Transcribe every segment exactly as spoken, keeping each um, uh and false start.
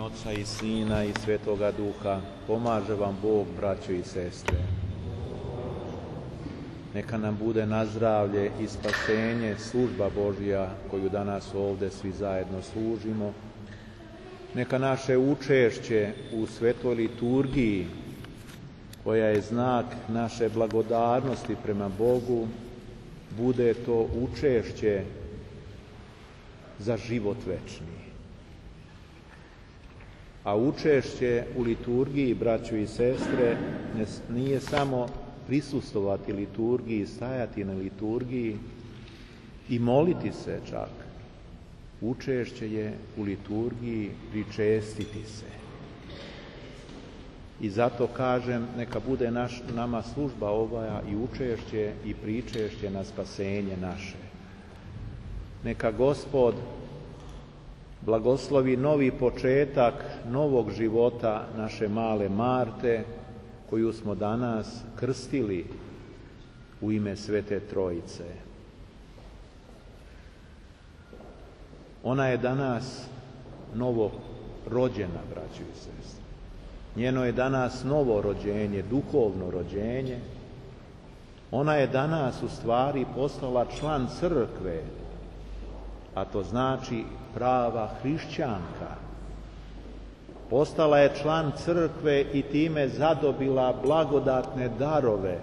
Oca i Sina i Svetoga Duha, pomaže vam Bog, braćo i sestre. Neka nam bude na zdravlje i spasenje služba Božja koju danas ovdje svi zajedno služimo. Neka naše učešće u svetoj liturgiji, koja je znak naše blagodarnosti prema Bogu, bude to učešće za život večni. A učešće u liturgiji, braćo i sestre, nije samo prisustvovati liturgiji, stajati na liturgiji i moliti se čak. Učešće je u liturgiji pričestiti se. I zato kažem, neka bude naš, nama služba ova i učešće i pričešće na spasenje naše. Neka Gospod blagoslovi novi početak novog života naše male Marte, koju smo danas krstili u ime Svete Trojice. Ona je danas novo rođena, braćo i sestre. Njeno je danas novo rođenje, duhovno rođenje. Ona je danas u stvari postala član crkve, a to znači prava hrišćanka. Postala je član crkve i time zadobila blagodatne darove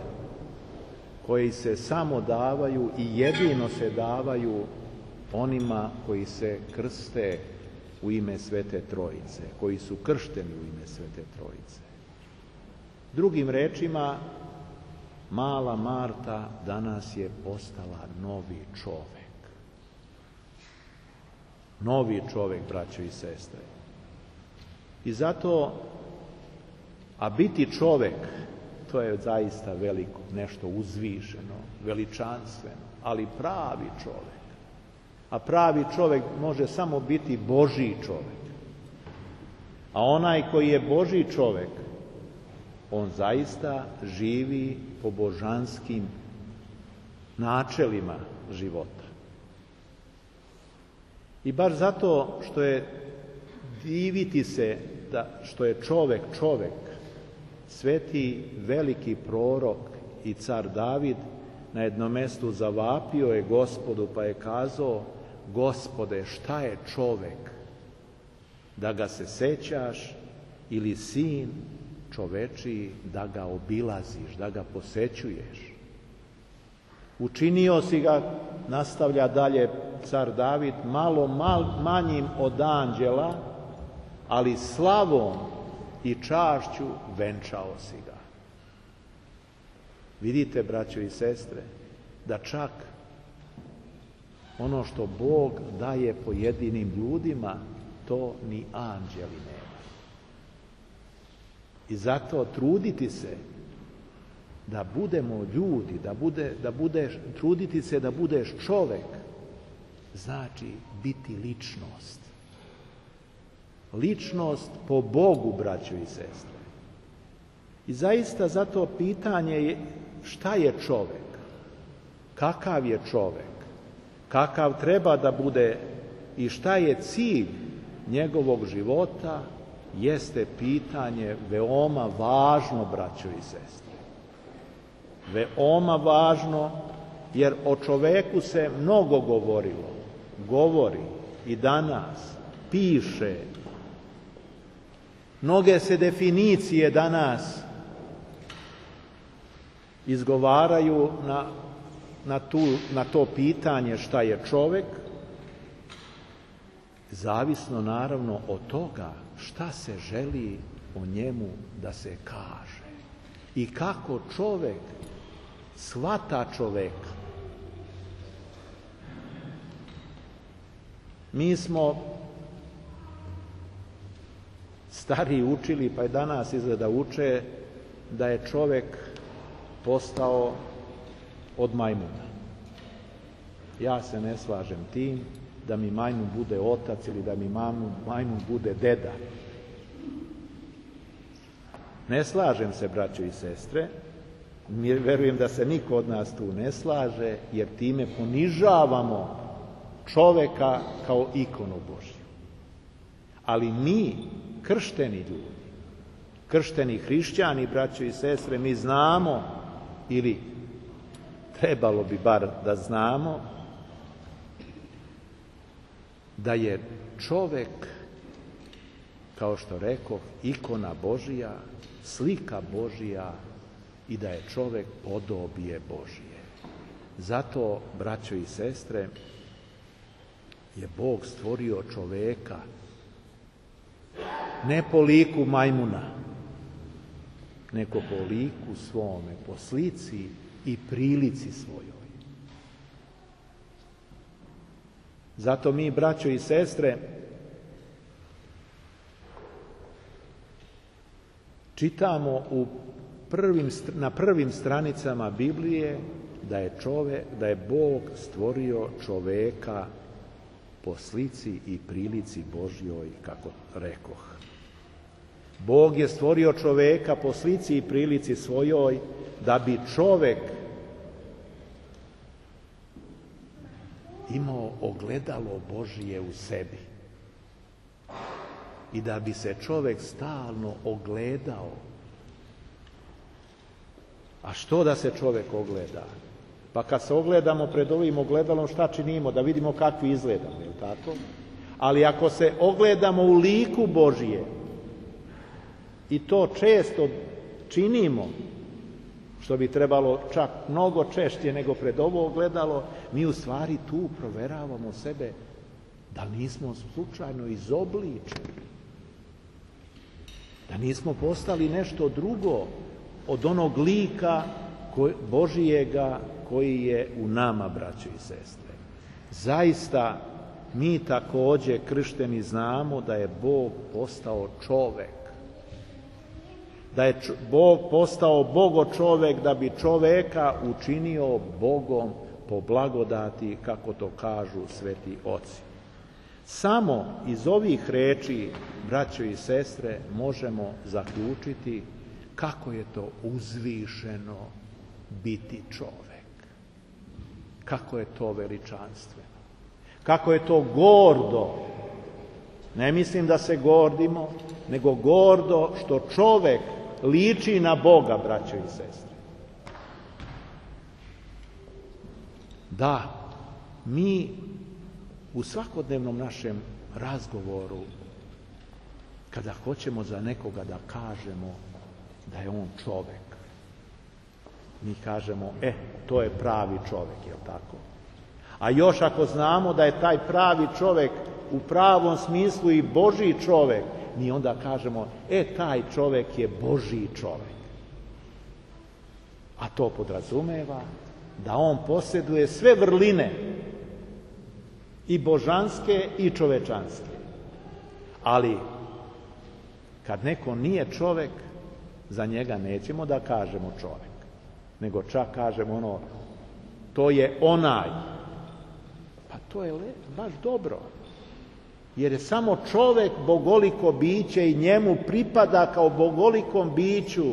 koji se samo davaju i jedino se davaju onima koji se krste u ime Svete Trojice, koji su kršteni u ime Svete Trojice. Drugim rečima, mala Marta danas je postala novi čovek. Novi čovek, braćo i sestre. I zato, a biti čovek, to je zaista veliko, nešto uzvišeno, veličanstveno, ali pravi čovek. A pravi čovek može samo biti Božji čovek. A onaj koji je Božji čovek, on zaista živi po božanskim načelima života. I baš zato što je diviti se da što je čovek čovek, sveti veliki prorok i car David na jednom mestu zavapio je Gospodu pa je kazao: Gospode, šta je čovek da ga se sećaš, ili sin čovečiji da ga obilaziš, da ga posećuješ? Učinio si ga, nastavlja dalje car David, malo mal, manjim od anđela, ali slavom i čašću venčao si ga. Vidite, braćo i sestre, da čak ono što Bog daje pojedinim ljudima, to ni anđeli nema. I zato truditi se da budemo ljudi, da, bude, da budeš, truditi se da budeš čovek, znači biti ličnost. Ličnost po Bogu, braćo i sestre. I zaista zato pitanje je šta je čovek? Kakav je čovek? Kakav treba da bude i šta je cilj njegovog života, jeste pitanje veoma važno, braćo i sestre. Veoma važno, jer o čoveku se mnogo govorilo, govori i danas, piše. Mnoge se definicije danas izgovaraju na, na, tu, na to pitanje šta je čovek, zavisno naravno od toga šta se želi o njemu da se kaže i kako čovek shvata čoveka. Mi smo stariji učili, pa i danas izgleda uče, da je čovek postao od majmuna. Ja se ne slažem tim da mi majmun bude otac ili da mi majmun, majmun bude deda. Ne slažem se, braćo i sestre, verujem da se niko od nas tu ne slaže, jer time ponižavamo čoveka kao ikonu Božju. Ali mi kršteni ljudi, kršteni hrišćani, braćo i sestre, mi znamo, ili trebalo bi bar da znamo, da je čovek, kao što rekoh, ikona Božija, slika Božija i da je čovek podobije Božije. Zato, braćo i sestre, je Bog stvorio čoveka ne po liku majmuna, nego po liku svome, po slici i prilici svojoj. Zato mi, braćo i sestre, čitamo u prvim, na prvim stranicama Biblije da je, čovek, da je Bog stvorio čoveka po slici i prilici Božjoj, kako rekoh. Bog je stvorio čoveka po slici i prilici svojoj da bi čovek imao ogledalo Božije u sebi i da bi se čovek stalno ogledao. A što da se čovek ogleda? Pa kad se ogledamo pred ovim ogledalom, šta činimo? Da vidimo kakvi izgledamo, je li tako? Ali ako se ogledamo u liku Božije, i to često činimo, što bi trebalo čak mnogo češće nego pred ovo ogledalo, mi u stvari tu proveravamo sebe da nismo slučajno izobličeni, da nismo postali nešto drugo od onog lika Božijega koji je u nama, braćo i sestre. Zaista, mi također kršteni znamo da je Bog postao čovek, da je Bog postao Bogo čovek da bi čoveka učinio Bogom po blagodati, kako to kažu sveti oci. Samo iz ovih reči, braćo i sestre, možemo zaključiti kako je to uzvišeno biti čovek. Kako je to veličanstveno. Kako je to gordo. Ne mislim da se gordimo, nego gordo što čovek liči na Boga, braćo i sestre. Da, mi u svakodnevnom našem razgovoru, kada hoćemo za nekoga da kažemo da je on čovek, mi kažemo, e, to je pravi čovek, je li tako? A još ako znamo da je taj pravi čovek u pravom smislu i Božji čovek, mi onda kažemo, e, taj čovek je Božji čovek. A to podrazumeva da on posjeduje sve vrline, i božanske i čovečanske. Ali, kad neko nije čovek, za njega nećemo da kažemo čovek, nego čak kažemo ono, to je onaj. Pa to je le, baš dobro. Jer je samo čovek bogoliko biće i njemu pripada kao bogolikom biću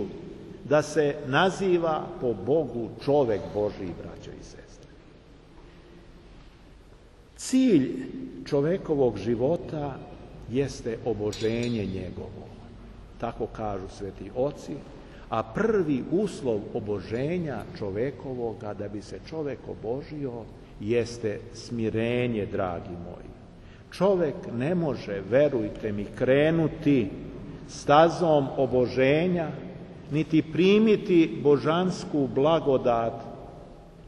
da se naziva po Bogu čovek Božji, braćo i sestre. Cilj čovekovog života jeste oboženje njegovo. Tako kažu sveti oci. A prvi uslov oboženja čovekovoga, da bi se čovek obožio, jeste smirenje, dragi moji. Čovek ne može, verujte mi, krenuti stazom oboženja, niti primiti božansku blagodat,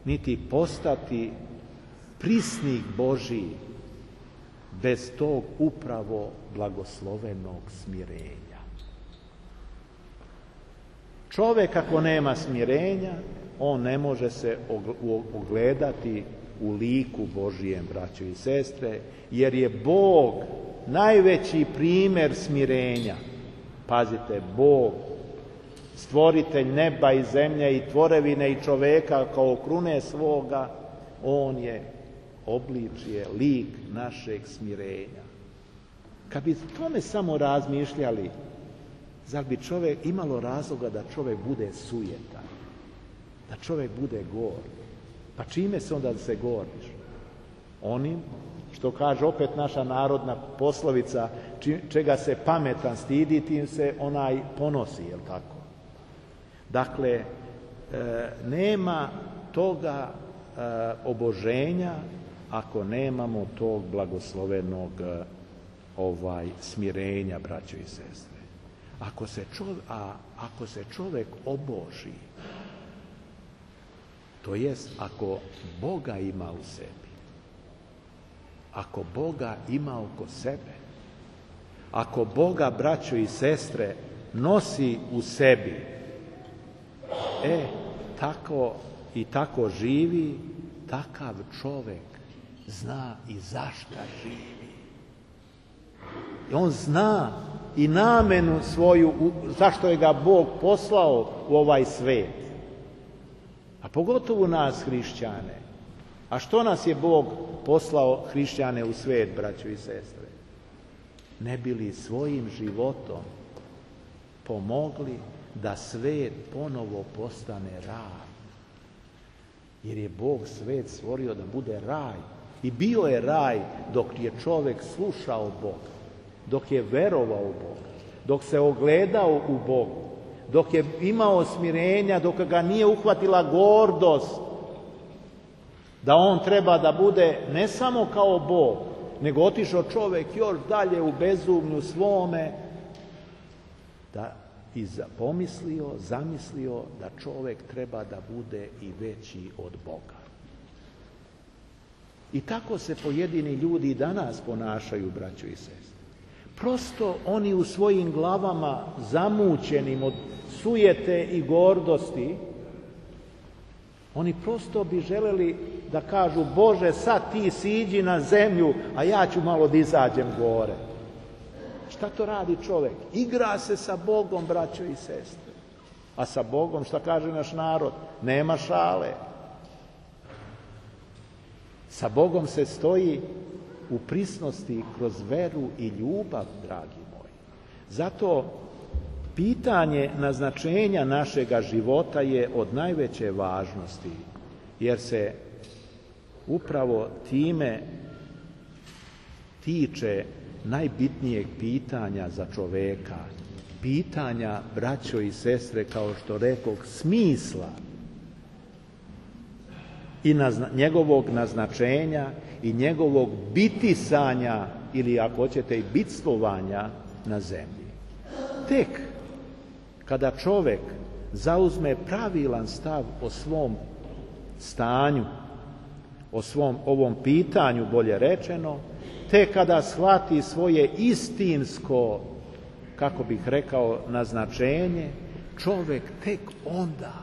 niti postati prisnik Božji bez tog upravo blagoslovenog smirenja. Čovek ako nema smirenja, on ne može se ogledati u liku Božijem, braćo i sestre, jer je Bog najveći primjer smirenja. Pazite, Bog, stvoritelj neba i zemlje i tvorevine i čoveka kao krune svoga, on je obličje, lik našeg smirenja. Kad bi tome samo razmišljali, zar bi čovjek imalo razloga da čovjek bude sujetan, da čovjek bude gord? Pa čime se onda se gordiš? Onim što kaže opet naša narodna poslovica, čega se pametan stidi, tim se onaj ponosi, jel tako? Dakle, e, nema toga e, oboženja ako nemamo tog blagoslovenog e, ovaj smirenja, braćo i sestre. Ako se čovjek, a ako se čovjek oboži, to jest ako Boga ima u sebi, ako Boga ima oko sebe, ako Boga, braćo i sestre, nosi u sebi, e, tako i tako živi, takav čovjek zna i zašto živi. I on zna i namenu svoju, zašto je ga Bog poslao u ovaj svijet. A pogotovo nas, hrišćane. A što nas je Bog poslao, hrišćane, u svijet, braćo i sestre? Ne bi li svojim životom pomogli da svijet ponovo postane raj? Jer je Bog svijet stvorio da bude raj. I bio je raj dok je čovjek slušao Boga, dok je verovao u Boga, dok se ogledao u Bogu, dok je imao smirenja, dok ga nije uhvatila gordost, da on treba da bude ne samo kao Bog, nego otišao čovjek još dalje u bezumlju svome, da i pomislio, zamislio da čovjek treba da bude i veći od Boga. I tako se pojedini ljudi i danas ponašaju, braćo i sestre. Prosto oni u svojim glavama, zamućenim od sujete i gordosti, oni prosto bi želeli da kažu: Bože, sad ti siđi na zemlju, a ja ću malo da izađem gore. Šta to radi čovjek? Igra se sa Bogom, braćo i sestre. A sa Bogom, šta kaže naš narod? Nema šale. Sa Bogom se stoji u prisnosti kroz veru i ljubav, dragi moji. Zato pitanje naznačenja našega života je od najveće važnosti, jer se upravo time tiče najbitnijeg pitanja za čoveka, pitanja, braćo i sestre, kao što rekoh, smisla i nazna, njegovog naznačenja i njegovog bitisanja, ili ako hoćete i bitstvovanja na zemlji. Tek kada čovjek zauzme pravilan stav o svom stanju, o svom ovom pitanju, bolje rečeno, tek kada shvati svoje istinsko, kako bih rekao, naznačenje, čovjek tek onda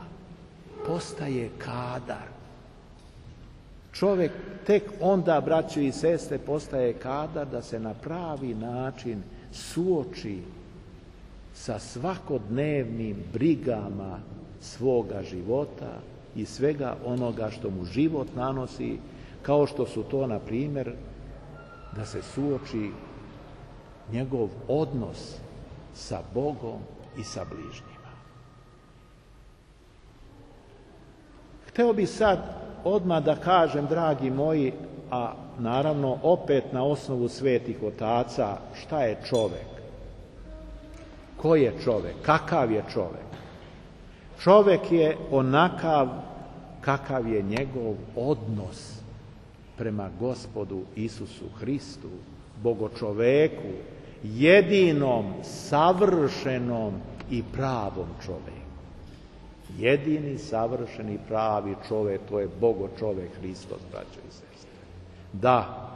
postaje kadar. Čovjek tek onda, braćo i sestre, postaje kadar da se na pravi način suoči sa svakodnevnim brigama svoga života i svega onoga što mu život nanosi, kao što su to, na primjer, da se suoči njegov odnos sa Bogom i sa bližnjima. Hteo bih sad odmah da kažem, dragi moji, a naravno opet na osnovu svetih otaca, šta je čovjek? Ko je čovjek? Kakav je čovjek? Čovjek je onakav kakav je njegov odnos prema Gospodu Isusu Hristu, Bogočoveku, jedinom, savršenom i pravom čovjeku. Jedini, savršeni, pravi čovjek, to je Bogočovek Hristos, braćo i sestre. Da,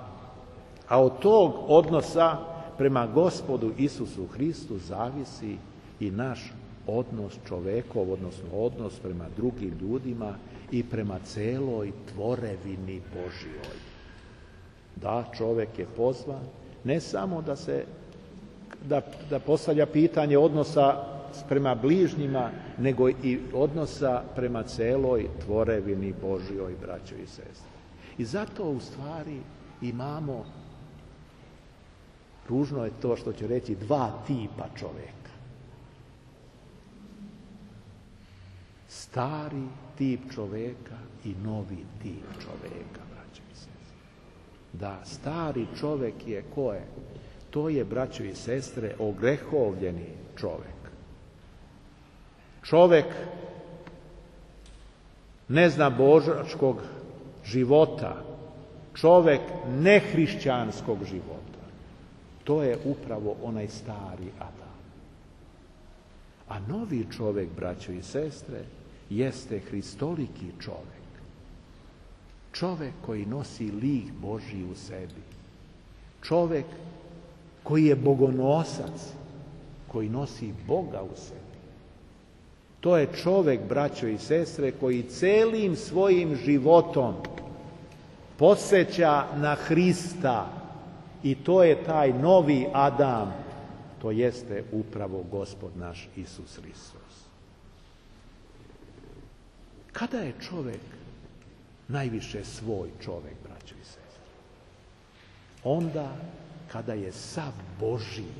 a od tog odnosa prema Gospodu Isusu Hristu zavisi i naš odnos čovekov, odnosno odnos prema drugim ljudima i prema celoj tvorevini Božjoj. Da, čovjek je pozvan ne samo da se da, da postavlja pitanje odnosa prema bližnjima, nego i odnosa prema celoj tvorevini Božjoj, braćo i sestre. I zato u stvari imamo, ružno je to što ću reći, dva tipa čovjeka. Stari tip čovjeka i novi tip čovjeka, braćo i sestre. Da, stari čovjek je ko je? To je, braćo i sestre, ogrehovljeni čovjek. Čovjek neznabožačkog života, čovjek nehrišćanskog života. To je upravo onaj stari Adam. A novi čovjek, braćo i sestre, jeste hristoliki čovjek. Čovjek koji nosi lik Božji u sebi. Čovjek koji je bogonosac, koji nosi Boga u sebi. To je čovjek, braćo i sestre, koji celim svojim životom podsjeća na Hrista i to je taj novi Adam, to jeste upravo Gospod naš Isus Hristos. Kada je čovjek najviše svoj čovjek, braćo i sestre? Onda kada je sav Božji.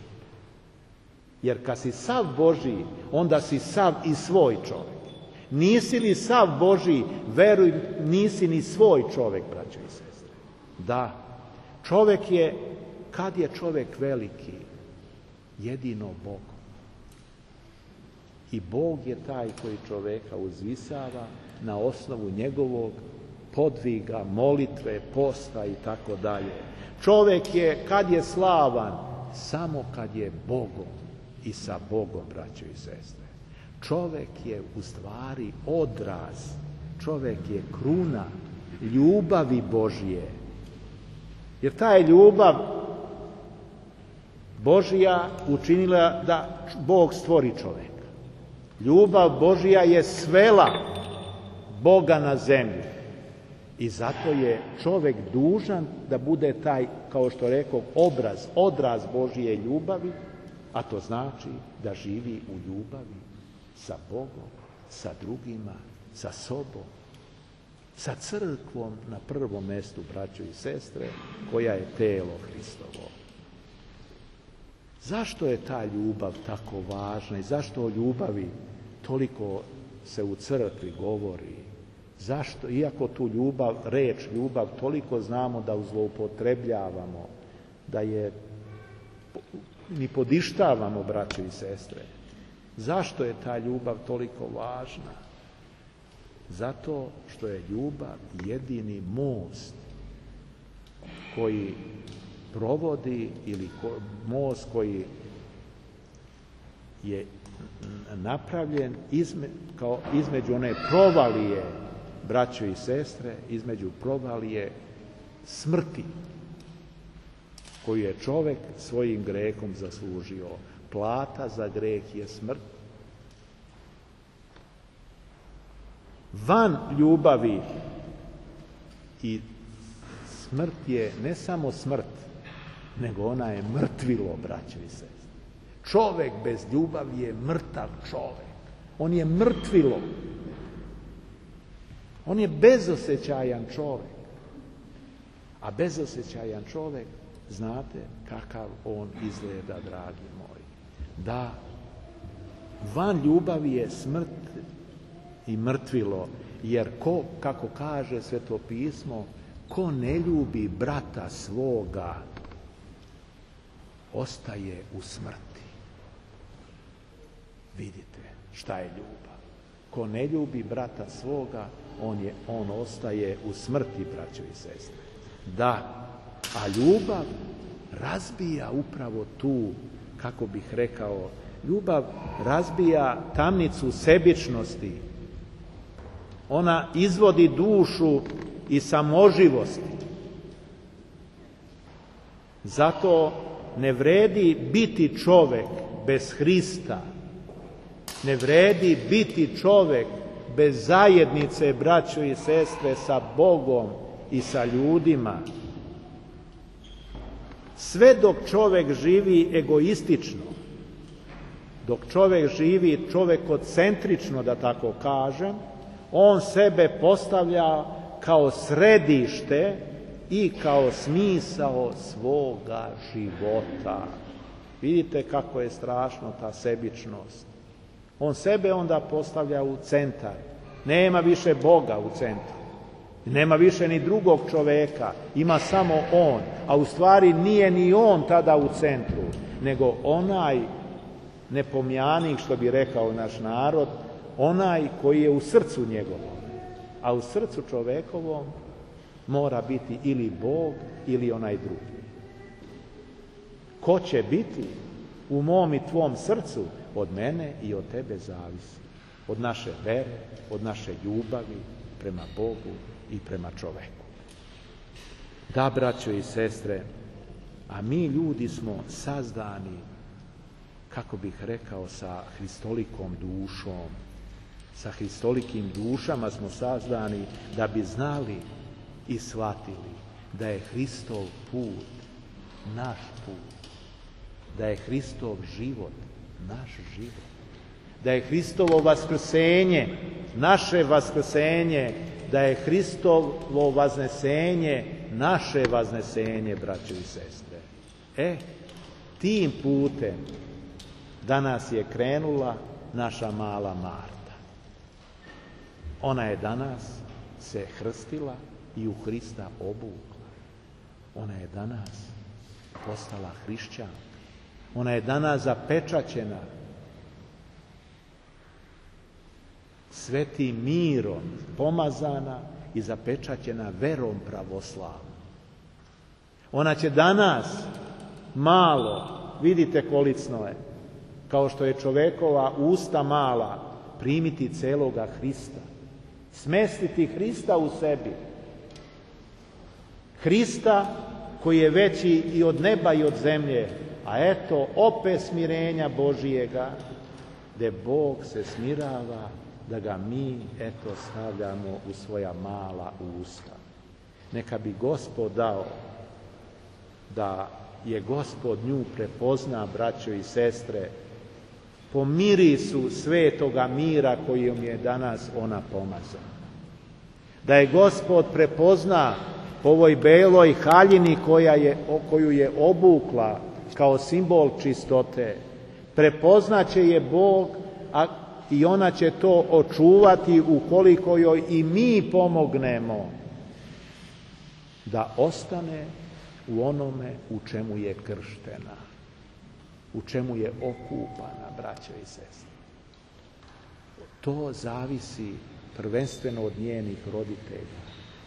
Jer kad si sav Božji, onda si sav i svoj čovjek. Nisi li sav Božji, veruj, nisi ni svoj čovjek, braćo i sestre. Da, čovjek je, kad je čovjek veliki, jedino Bog. I Bog je taj koji čovjeka uzvisava na osnovu njegovog podviga, molitve, posta i tako dalje. Čovjek je, kad je slavan, samo kad je Bogom i sa Bogom, braćo i sestre. Čovjek je u stvari odraz, čovjek je kruna ljubavi Božje. Jer ta je ljubav Božja učinila da Bog stvori čovjeka. Ljubav Božja je svela Boga na zemlju. I zato je čovjek dužan da bude taj, kao što rekao, obraz, odraz Božje ljubavi, a to znači da živi u ljubavi sa Bogom, sa drugima, sa sobom, sa crkvom na prvom mjestu, braćo i sestre, koja je telo Hristovo. Zašto je ta ljubav tako važna i zašto o ljubavi toliko se u crkvi govori? Zašto? Iako tu ljubav, reč ljubav, toliko znamo da zloupotrebljavamo, da je ni podištavamo, braćo i sestre. Zašto je ta ljubav toliko važna? Zato što je ljubav jedini most koji provodi, ili most koji je napravljen izme, kao između one provalije, braćo i sestre, između provalije smrti koju je čovjek svojim grehom zaslužio. Plata za greh je smrt. Van ljubavi i smrt je ne samo smrt, nego ona je mrtvilo, braćo i sestre. Čovjek bez ljubavi je mrtav čovjek. On je mrtvilo. On je bezosjećajan čovjek. A bezosjećajan čovjek, znate kakav on izgleda, dragi moji. Da, van ljubavi je smrt i mrtvilo, jer ko, kako kaže Sveto pismo, ko ne ljubi brata svoga, ostaje u smrti. Vidite šta je ljubav. Ko ne ljubi brata svoga, on, je, on ostaje u smrti, braćo i sestre. Da, a ljubav razbija upravo tu, kako bih rekao, ljubav razbija tamnicu sebičnosti. Ona izvodi dušu iz samoživosti. Zato ne vredi biti čovjek bez Hrista. Ne vredi biti čovjek bez zajednice, braćo i sestre, sa Bogom i sa ljudima. Sve dok čovjek živi egoistično, dok čovjek živi čovjekocentrično, da tako kažem, on sebe postavlja kao središte i kao smisao svoga života. Vidite kako je strašno ta sebičnost. On sebe onda postavlja u centar. Nema više Boga u centru. Nema više ni drugog čoveka, ima samo on, a u stvari nije ni on tada u centru, nego onaj nepomjanik, što bi rekao naš narod, onaj koji je u srcu njegovom. A u srcu čovekovom mora biti ili Bog ili onaj drugi. Ko će biti u mom i tvom srcu, od mene i od tebe zavisi. Od naše vere, od naše ljubavi prema Bogu i prema čoveku. Da, braćo i sestre, a mi ljudi smo sazdani, kako bih rekao, sa hristolikom dušom. Sa hristolikim dušama smo sazdani da bi znali i shvatili da je Hristov put naš put. Da je Hristov život naš život. Da je Hristovo vaskrsenje naše vaskrsenje. Da je Hristovo vaznesenje naše vaznesenje, braćo i sestre. E, tim putem danas je krenula naša mala Marta. Ona je danas se krstila i u Hrista obukla. Ona je danas postala hrišćanka. Ona je danas zapečaćena svetim mirom, pomazana i zapečaćena verom pravoslavnom. Ona će danas malo, vidite kolicno je, kao što je čovekova usta mala, primiti celoga Hrista. Smestiti Hrista u sebi. Hrista koji je veći i od neba i od zemlje, a eto opet smirenja Božijega, gdje Bog se smirava da ga mi, eto, stavljamo u svoja mala usta. Neka bi Gospod dao da je Gospod nju prepozna, braćo i sestre, po mirisu svetoga mira kojim je danas ona pomazana. Da je Gospod prepozna po ovoj beloj haljini koja je, koju je obukla kao simbol čistote. Prepoznaće je Bog, a i ona će to očuvati ukoliko joj i mi pomognemo da ostane u onome u čemu je krštena, u čemu je okupana, braćo i sestre. To zavisi prvenstveno od njenih roditelja,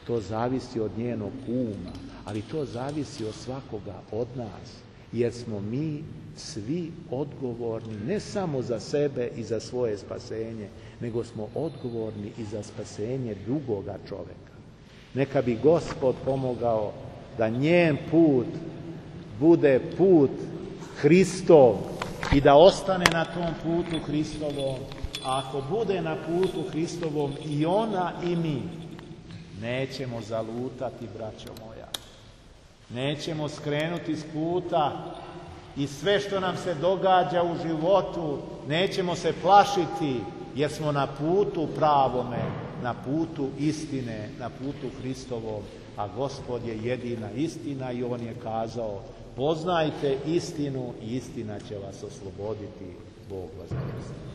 to zavisi od njenog uma, ali to zavisi od svakoga od nas, jer smo mi svi odgovorni ne samo za sebe i za svoje spasenje, nego smo odgovorni i za spasenje drugoga čoveka. Neka bi Gospod pomogao da njen put bude put Hristov i da ostane na tom putu Hristovom, a ako bude na putu Hristovom i ona i mi, nećemo zalutati, braćo moja. Nećemo skrenuti s puta i sve što nam se događa u životu nećemo se plašiti, jer smo na putu pravome, na putu istine, na putu Hristovom, a Gospod je jedina istina i on je kazao: poznajte istinu i istina će vas osloboditi. Bog vas